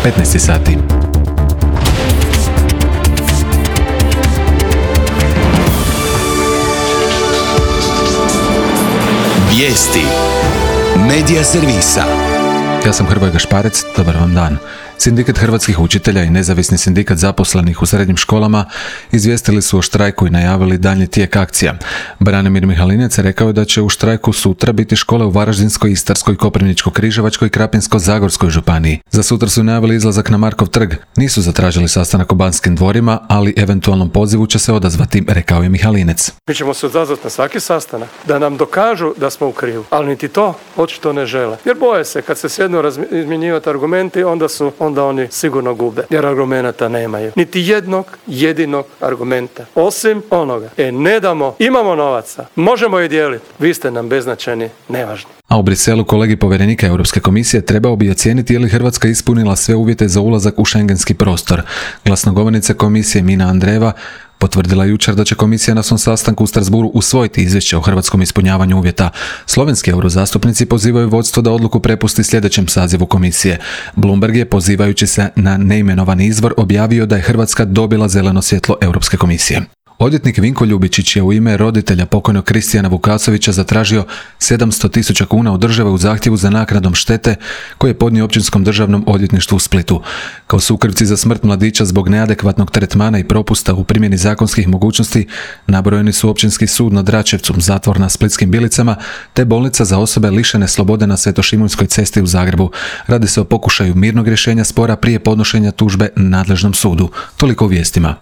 15 sati. Vijesti Medija servisa. Ja sam Hrvoje Gašparec, dobar vam dan. Sindikat hrvatskih učitelja i nezavisni sindikat zaposlenih u srednjim školama izvijestili su o štrajku i najavili daljnji tijek akcija. Branimir Mihalinec rekao je da će u štrajku sutra biti škole u Varaždinskoj, Istarskoj, Koprivničko-križevačkoj i Krapinsko-zagorskoj županiji. Za sutra su najavili izlazak na Markov trg. Nisu zatražili sastanak u Banskim dvorima, ali eventualnom pozivu će se odazvati, rekao je Mihalinec. Mi ćemo se odazvati na svaki sastanak, da nam dokažu da smo u krivu, ali niti to očito ne žele. Jer boje se, kad se sjednu izmjenjivati argumenti, onda oni sigurno gube, jer argumenta nemaju. Niti jednog jedinog argumenta. Osim onoga, ne damo, imamo novaca, možemo je dijeliti, vi ste nam beznačajni, nevažni. A u Briselu kolegi povjerenika Europske komisije trebao bi ocijeniti je li Hrvatska ispunila sve uvjete za ulazak u šengenski prostor. Glasnogovornica komisije Mina Andreva potvrdila jučer da će komisija na svom sastanku u Strasbourgu usvojiti izvješće o hrvatskom ispunjavanju uvjeta. Slovenski eurozastupnici pozivaju vodstvo da odluku prepusti sljedećem sazivu komisije. Bloomberg je, pozivajući se na neimenovani izvor, objavio da je Hrvatska dobila zeleno svjetlo Europske komisije. Odvjetnik Vinko Ljubičić je u ime roditelja pokojnog Kristijana Vukasovića zatražio 700.000 kuna od države u zahtjevu za naknadom štete koje je podnio Općinskom državnom odvjetništvu u Splitu. Kao sukrivci za smrt mladića zbog neadekvatnog tretmana i propusta u primjeni zakonskih mogućnosti nabrojeni su Općinski sud na Dračevcu, zatvor na Splitskim Bilicama te bolnica za osobe lišene slobode na Svetošimunskoj cesti u Zagrebu. Radi se o pokušaju mirnog rješenja spora prije podnošenja tužbe nadležnom sudu. Toliko u vijestima.